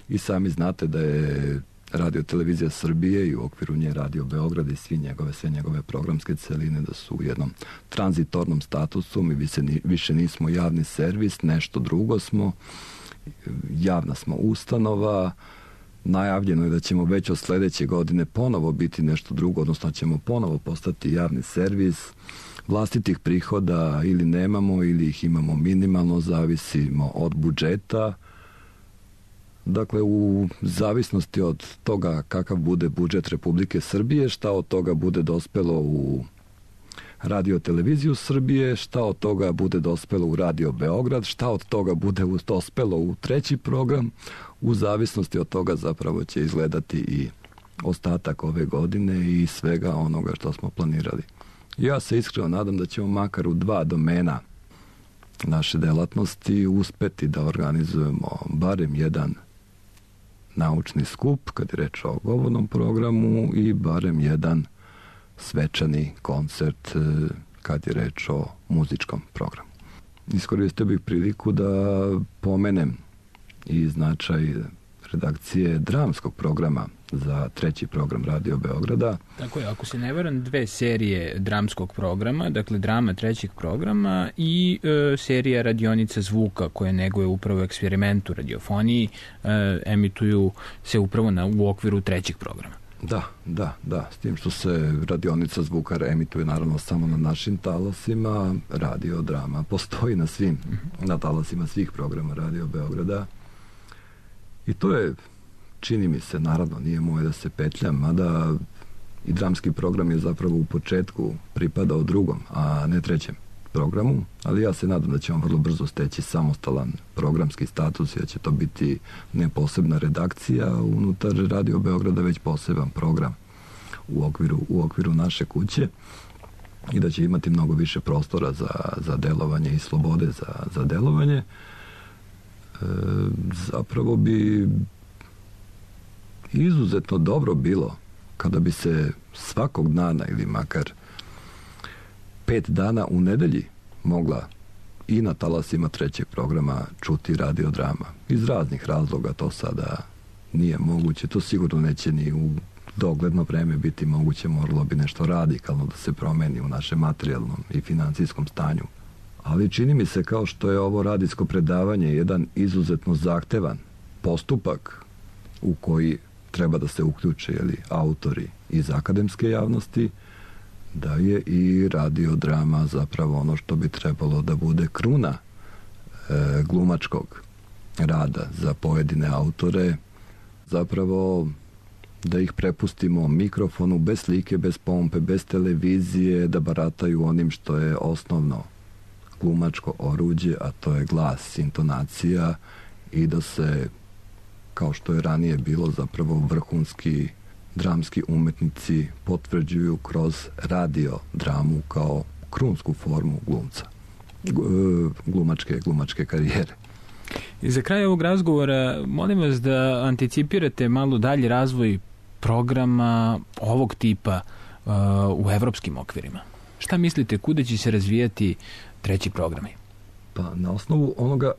i sami znate da je Radio Televizija Srbije i u okviru nje Radio Beograd i sve njegove programske celine da su u jednom tranzitornom statusu. Mi više nismo javni servis, nešto drugo smo, javna smo ustanova. Najavljeno je da ćemo već od sledeće godine ponovo biti nešto drugo, odnosno ćemo ponovo postati javni servis. Vlastitih prihoda ili nemamo ili ih imamo minimalno, zavisimo od budžeta. Dakle, u zavisnosti od toga kakav bude budžet Republike Srbije, šta od toga bude dospelo u Radio Televiziju Srbije, šta od toga bude dospelo u Radio Beograd, šta od toga bude dospelo u treći program, u zavisnosti od toga zapravo će izgledati i ostatak ove godine i svega onoga što smo planirali. Ja se iskreno nadam da ćemo makar u 2 domena naše delatnosti uspeti da organizujemo barem jedan naučni skup, kad je reč o govornom programu, i barem jedan svečani koncert kad je reč o muzičkom programu. Iskoristio bih priliku da pomenem i značaj redakcije dramskog programa za treći program Radio Beograda. Tako je, ako se ne varam, 2 serije dramskog programa, dakle drama trećeg programa i serija radionica zvuka koje neguje upravo eksperimentu radiofoniji, emituju se upravo u okviru trećeg programa. Da, s tim što se radionica zvuka emituje naravno samo na našim talasima, radio drama postoji na talasima svih programa Radio Beograda. I to je, čini mi se, naravno nije moje da se petljam, mada i dramski program je zapravo u početku pripadao drugom, a ne trećem programu, ali ja se nadam da će on vrlo brzo steći samostalan programski status i da će to biti ne posebna redakcija unutar Radio Beograda, već poseban program u okviru naše kuće i da će imati mnogo više prostora za delovanje i slobode za delovanje. Zapravo bi izuzetno dobro bilo kada bi se svakog dana ili makar 5 dana u nedelji mogla i na talasima trećeg programa čuti radiodrama. Iz raznih razloga to sada nije moguće, to sigurno neće ni u dogledno vreme biti moguće, moralo bi nešto radikalno da se promeni u našem materijalnom i financijskom stanju. Ali čini mi se kao što je ovo radijsko predavanje jedan izuzetno zahtevan postupak u koji treba da se uključe autori iz akademske javnosti, da je i radiodrama zapravo ono što bi trebalo da bude kruna glumačkog rada za pojedine autore, zapravo da ih prepustimo mikrofonu bez slike, bez pompe, bez televizije, da barataju onim što je osnovno glumačko oruđe, a to je glas, intonacija, i da se, kao što je ranije bilo, zapravo vrhunski dramski umetnici potvrđuju kroz radiodramu kao krunsku formu glumca, glumačke karijere. I za kraj ovog razgovora molim vas da anticipirate malo dalji razvoj programa ovog tipa u evropskim okvirima. Šta mislite, kuda će se razvijati treći programi? Pa na osnovu onoga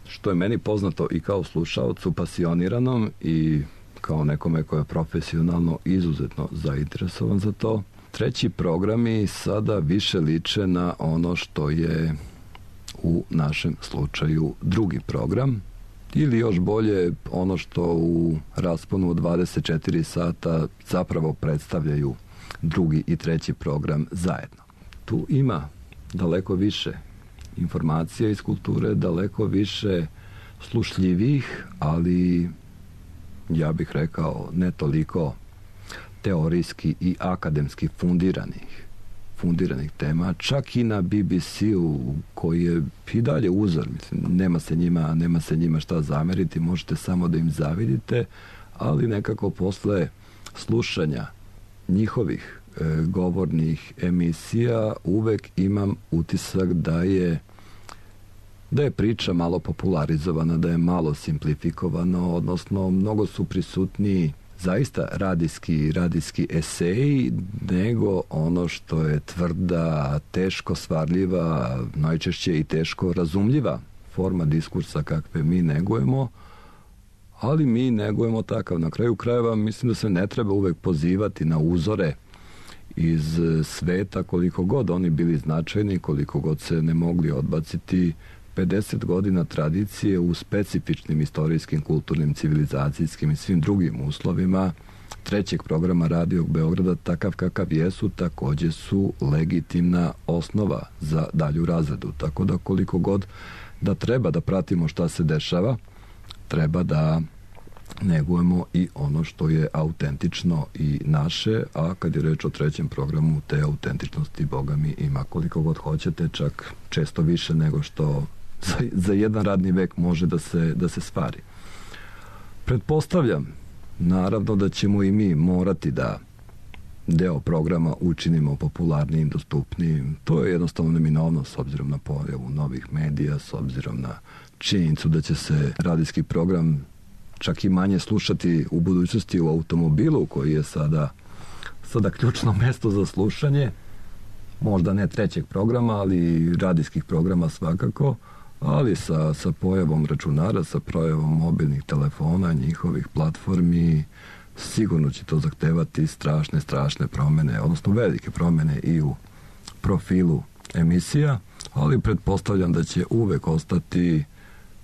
što je meni poznato i kao slušaocu pasioniranom i kao nekome ko je profesionalno izuzetno zainteresovan za to, treći programi sada više liče na ono što je u našem slučaju drugi program, ili još bolje ono što u rasponu od 24 sata zapravo predstavljaju drugi i treći program zajedno. Tu ima daleko više informacija iz kulture, daleko više slušljivih, ali ja bih rekao ne toliko teorijski i akademski fundiranih tema, čak i na BBC-u koji je i dalje uzor, mislim, nema se njima šta zameriti, možete samo da im zavidite, ali nekako posle slušanja njihovih govornih emisija uvek imam utisak da je priča malo popularizovana, da je malo simplifikovano, odnosno mnogo su prisutniji zaista radijski eseji nego ono što je tvrda, teško stvarljiva, najčešće i teško razumljiva forma diskursa kakve mi negujemo, ali mi negujemo takav. Na kraju krajeva mislim da se ne treba uvek pozivati na uzore iz sveta, koliko god oni bili značajni, koliko god se ne mogli odbaciti 50 godina tradicije u specifičnim istorijskim, kulturnim, civilizacijskim i svim drugim uslovima trećeg programa Radio Beograda, takav kakav jesu, takođe su legitimna osnova za dalju razredu. Tako da koliko god da treba da pratimo šta se dešava, treba da negujemo i ono što je autentično i naše, a kad je reč o trećem programu, te autentičnosti, boga mi, ima koliko god hoćete, čak često više nego što za jedan radni vek može da se stvari. Pretpostavljam, naravno, da ćemo i mi morati da deo programa učinimo popularnijim, dostupnijim. To je jednostavno neminovno s obzirom na pojavu novih medija, s obzirom na činjenicu da će se radijski program čak i manje slušati u budućnosti u automobilu, koji je sada ključno mesto za slušanje, možda ne trećeg programa, ali radijskih programa svakako, ali sa pojavom računara, sa pojavom mobilnih telefona, njihovih platformi, sigurno će to zahtevati strašne promene, odnosno velike promene i u profilu emisija, ali pretpostavljam da će uvek ostati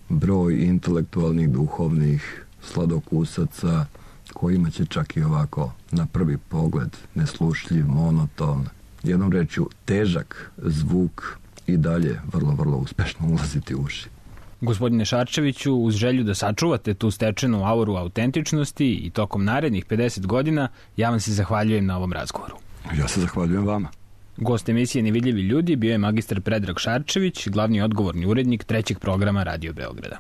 broj intelektualnih, duhovnih sladokusaca kojima će čak i ovako na prvi pogled neslušljiv, monoton, jednom rečju težak zvuk i dalje vrlo uspešno ulaziti u uši. Gospodine Šarčeviću, uz želju da sačuvate tu stečenu auru autentičnosti i tokom narednih 50 godina, ja vam se zahvaljujem na ovom razgovoru. Ja se zahvaljujem vama. Gost emisije Nevidljivi ljudi bio je magistar Predrag Šarčević, glavni odgovorni urednik trećeg programa Radio Beograda.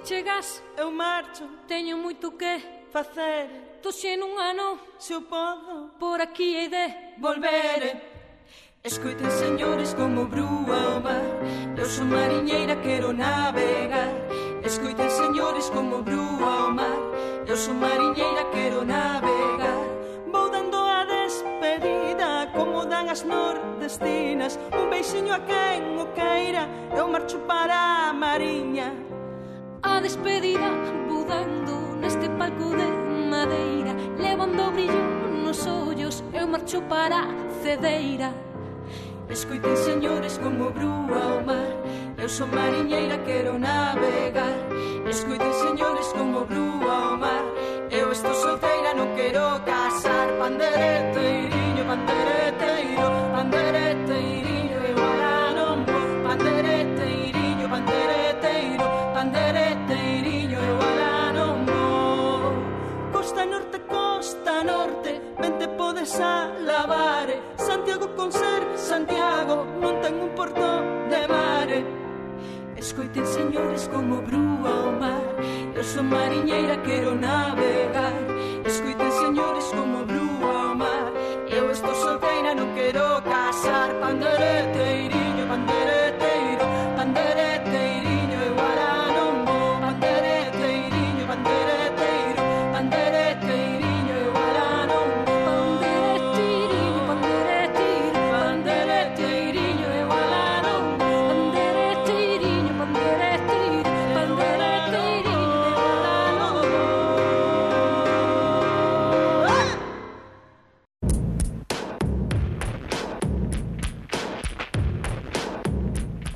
Chegas, eu marcho, teño moito que facer. Toxe nun ano, se eu podo, por aquí hei de volver. Escoiten, señores, como brúa o mar. Eu son mariñeira, quero navegar. Escoiten, señores, senhores como brua ao mar. Eu sou marinheira, quero navegar. Vou dando a despedida como dan as nordestinas. Un beixiño a quen o queira, eu marcho para a mariña. A despedida vou dando neste palco de madeira, levando brillo nos ollos, eu marcho para a cedeira. Escoiten, señores, como brua ao mar. Eu sou marinheira, quero navegar. Escoiten, señores, como brua ao mar. Eu estou solteira, non quero casar. Pandereteiriño, pandereteiro, pandereteiriño, eu agora non vou. Pandereteiriño, pandereteiro, pandereteiriño, eu agora non vou. Costa norte, ben te podes alabar. Santiago con ser Santiago non ten un porto de mare. Escoiten, señores, como brua ao mar. Eu sou marinheira, quero navegar. Escoiten, señores, como brua ao mar. Eu estou solteira, non quero casar. Pandereteiriño, pandereteiro, pandereteiriño, eu agora non vou. Pandereteiriño, pandereteiro, pandereteiriño, eu agora non vou. Pandereteiriño, pandereteiro, pandereteiriño, eu agora non vou. Pandereteiriño, pandereteiro, pandereteiriño, eu agora non vou.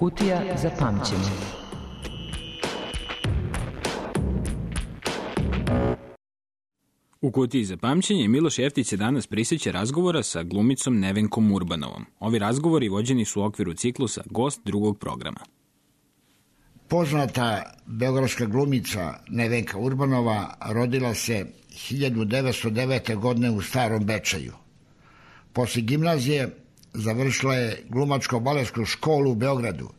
Kutija za pamćenje. U kutiji za pamćenje Miloš Jeftić se danas prisjeća razgovora sa glumicom Nevenkom Urbanovom. Ovi razgovori vođeni su u okviru ciklusa Gost drugog programa. Poznata beogradska glumica Nevenka Urbanova rodila se 1909. godine u Starom Bečeju. Posle gimnazije završila je glumačko-baletsku školu u Beogradu.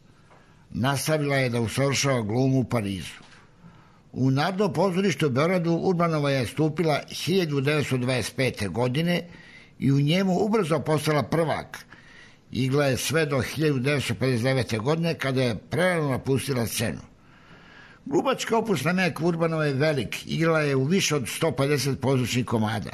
Nastavila je da usavršava glumu u Parizu. U Narodnom pozorištu u Beogradu Urbanova je stupila 1925. godine i u njemu ubrzo postala prvak. Igla je sve do 1959. godine kada je prerano napustila scenu. Glumački opus Nevenke Urbanove je velik. Igrala je u više od 150 pozorišnih komada.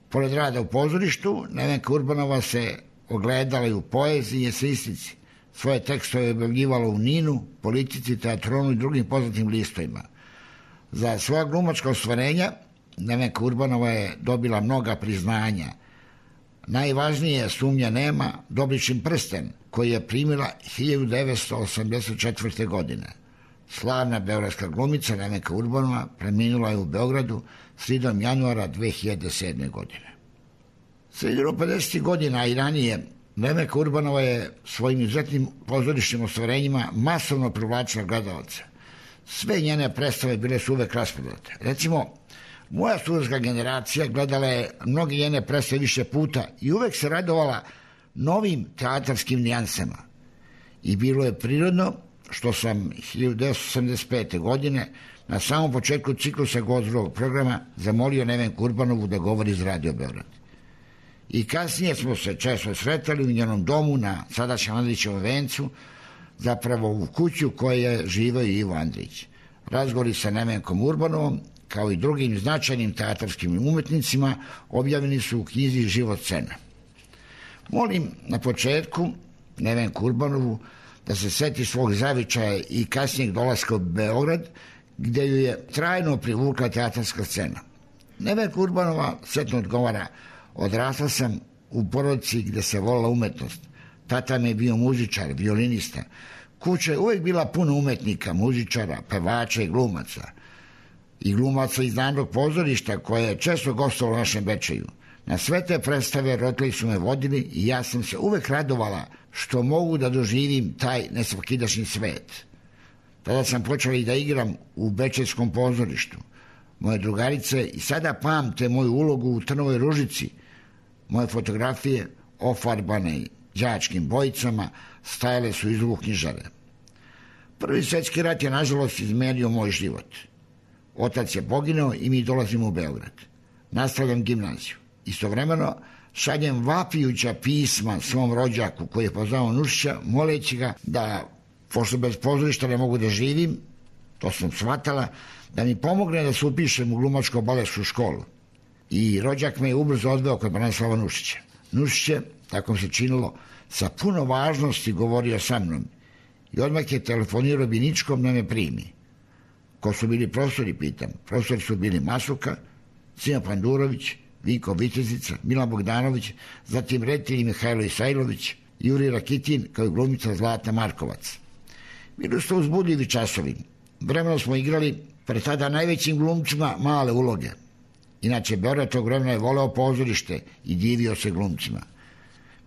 Pored rada u pozorištu, Nevenka Urbanova se ogledala i u poeziji i eseistici. Svoje tekstove je objavljivala u Ninu, Politici, Teatronu i drugim poznatim listovima. Za svoja glumačka ostvarenja Nevenka Urbanova je dobila mnoga priznanja. Najvažnije, sumnja nema, Dobričin prsten, koji je primila 1984. godine. Slavna beogradska glumica Nevenka Urbanova preminula je u Beogradu sredom januara 2007. godine. Sredinom 50. godina i ranije Nevenka Urbanova je svojim izuzetnim pozorišnim ostvarenjima masovno privlačila gledalce. Sve njene predstave bile su uvek rasprodate. Recimo, moja studentska generacija gledala je mnogi njene predstave više puta i uvek se radovala novim teatarskim nijansama. I bilo je prirodno što sam 1985. godine na samom početku ciklusa Gost drugog programa zamolio Nevenku Urbanovu da govori iz Radio Beograd. I kasnije smo se često sretali u njenom domu na sadašnjem Andrićevom vencu, zapravo u kuću koje je živeo Ivo Andrić. Razgovori sa Nevenkom Urbanovom, kao i drugim značajnim teatarskim umetnicima, objavljeni su u knjizi Život scena. Molim na početku Nevenku Urbanovu da se seti svog zavičaja i kasnijeg dolaska u Beograd, gde ju je trajno privukla teatarska scena. Nevenka Urbanova setno odgovara: odrasla sam u porodici gde se volila umetnost. Tata mi je bio muzičar, violinista. Kuća je uvek bila puno umetnika, muzičara, pevača i glumaca. I glumaca iz Narodnog pozorišta koje je često gostovalo u našem Bečeju. Na sve te predstave roditelji su me vodili i ja sam se uvek radovala što mogu da doživim taj nesvakidašnji svet. Tada sam počela i da igram u Bečejskom pozorištu. Moje drugarice i sada pamte moju ulogu u Trnovoj ružici. Moje fotografije, ofarbane đačkim bojicama, stajale su iz uvu knjižare. Prvi svetski rat je, nažalost, izmenio moj život. Otac je poginuo i mi dolazimo u Beograd. Nastavljam gimnaziju. Istovremeno šaljem vapijuća pisma svom rođaku koji je poznao Nušića, moleći ga da, pošto bez pozorišta ne mogu da živim, to sam shvatala, da mi pomogne da se upišem u glumačko-balešku školu. I rođak me je ubrzo odveo kod Branislava Nušića. Nušić je, tako se činilo, sa puno važnosti govorio sa mnom i odmah je telefonirao Biničkom da me primi. Ko su bili profesori, pitam. Profesori su bili Masuka, Sima Pandurović, Vinko Vitezica, Milan Bogdanović, zatim reditelji Mihajlo Isajlović, Jurij Rakitin, kao i glumica Zlata Markovac. Bili su to uzbudljivi časovi. Vremeno smo igrali pred tada najvećim glumcima male uloge. Inače, Beograd tog vremena je voleo pozorište i divio se glumcima.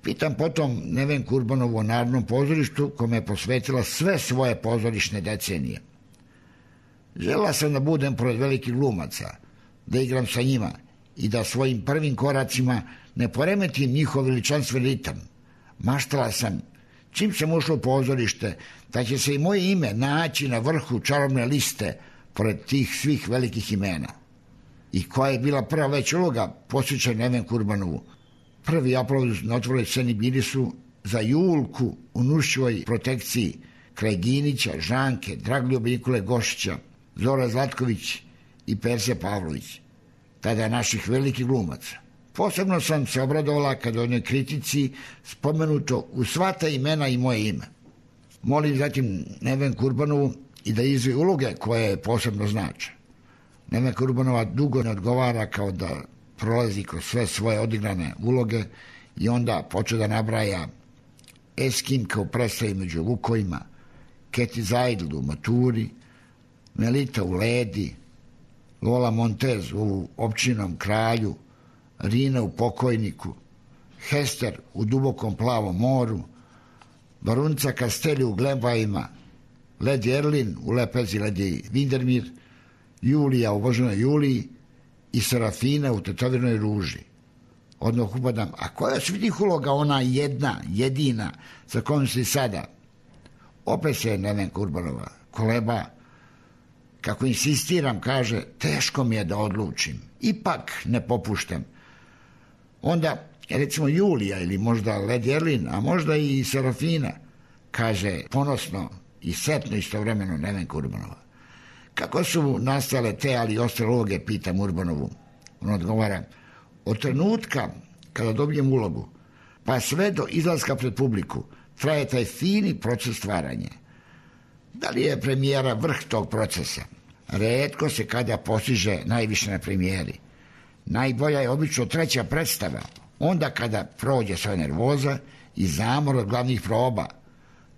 Pitam potom Nevenku Urbanovu o Narodnom pozorištu, kome je posvetila sve svoje pozorišne decenije. Želela sam da budem pored velikih glumaca, da igram sa njima i da svojim prvim koracima ne poremetim njihov veličanstven ritam. Maštala sam, čim sam ušla u pozorište, da će se i moje ime naći na vrhu čarobne liste pored tih svih velikih imena. I koja je bila prva već uloga, posjećaj Nevenku Urbanovu. Prvi aplauz na otvorenoj sceni bili su za Julku u Nušićevoj protekciji kraj Ginića, Žanke, Dragoljuba Nikole Gošića, Zora Zlatković i Perse Pavlović, tada naših velikih glumaca. Posebno sam se obradovala kada u jednoj kritici spomenuto u sva ta imena i moje ime. Molim zatim Nevenku Urbanovu i da izve uloge koje posebno znače. Nevenka Urbanova dugo ne odgovara kao da prolazi kroz sve svoje odigrane uloge i onda počne da nabraja Eskimka u predstavi Među lukovima, Keti Zajdl u Maturi, Melita u Ledi, Lola Montez u Općinom kralju, Rina u Pokojniku, Hester u Dubokom plavom moru, Barunca Kasteli u Glebajima, Ledi Erlin u Lepezi Ledi Vindermir, Julija u Božanoj Juliji i Serafina u Tetovinoj ruži. Odmah upadam, a koja su tih uloga ona jedna, jedina, sa kojom se i sada? Opet se Nevenka Urbanova koleba, kako insistiram, kaže, teško mi je da odlučim. Ipak ne popuštam. Onda, recimo Julija ili možda Ledi Erlin, a možda i Serafina, kaže ponosno i setno istovremeno Nevenka Urbanova. Kako su nastale te, ali i ostale uloge, pitam Urbanovu. On odgovara, od trenutka kada dobijem ulogu, pa sve do izlaska pred publiku, traje taj fini proces stvaranja. Da li je premijera vrh tog procesa? Retko se kada postiže najviše na premijeri. Najbolja je obično treća predstava, onda kada prođe sva nervoza i zamor od glavnih proba.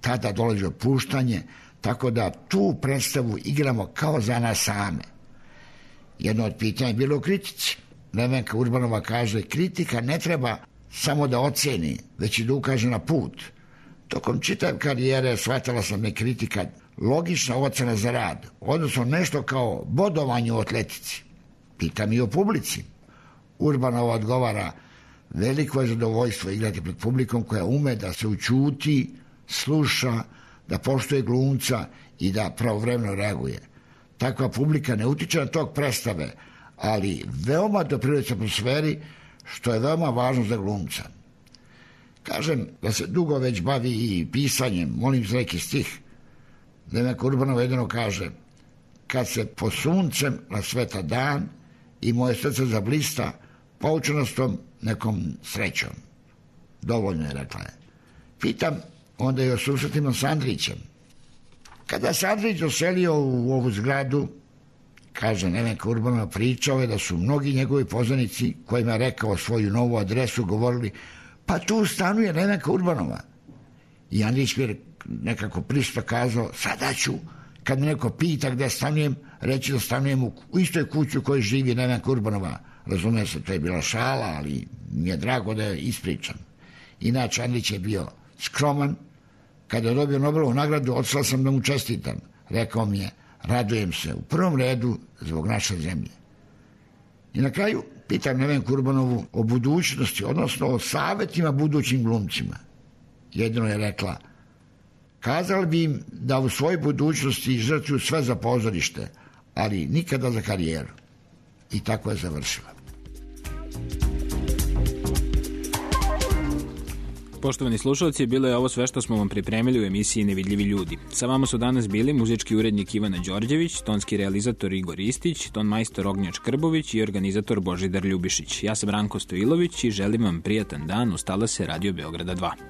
Tada dolazi opuštanje, tako da tu predstavu igramo kao za nas same. Jedno od pitanja je bilo u kritici. Nevenka Urbanova kaže, kritika ne treba samo da oceni, već i da ukaže na put. Tokom čitav karijere shvatala sam me kritika logična ocena za rad, odnosno nešto kao bodovanje u atletici. Pitam i o publici. Urbanova odgovara, veliko je zadovoljstvo igrati pred publikom koja ume da se ućuti, sluša, da poštuje glumca i da pravovremeno reaguje. Takva publika ne utiče na tok predstave, ali veoma doprinosi atmosferi, što je veoma važno za glumca. Kažem da se dugo već bavi i pisanjem, molim za neki stih. Nevenka Urbanova jedino kaže, kad se po suncem rasveta dan i moje srce zablista poučenostom nekom srećom. Dovoljno je, rekla je. Pitam onda i o susretima s Andrićem. Kada se Andrić doselio u ovu zgradu, kaže Nevenka Urbanova, pričao je da su mnogi njegovi poznanici kojima je rekao svoju novu adresu govorili, pa tu stanuje Nevenka Urbanova. I Andrić mi je nekako pristo kazao, sada ću, kad me neko pita gde stanujem, reći da stanujem u istoj kući u kojoj živi Nevenka Urbanova. Razumije se, to je bila šala, ali mi je drago da je ispričam. Inače, Andrić je bio skroman. Kada je dobio Nobelovu nagradu, otišla sam da mu čestitam. Rekao mi je, radujem se u prvom redu zbog naše zemlje. I na kraju pitam Nevenku Urbanovu o budućnosti, odnosno o savjetima budućim glumcima. Jedino je rekla, kazali bi im da u svojoj budućnosti žrtvuju sve za pozorište, ali nikada za karijeru. I tako je završila. Poštovani slušalci, bilo je ovo sve što smo vam pripremili u emisiji Nevidljivi ljudi. Sa vama su danas bili muzički urednik Ivana Đorđević, tonski realizator Igor Istić, ton majstor Ognjač Krbović i organizator Božidar Ljubišić. Ja sam Ranko Stojilović i želim vam prijatan dan. Uz talase Radio Beograda 2.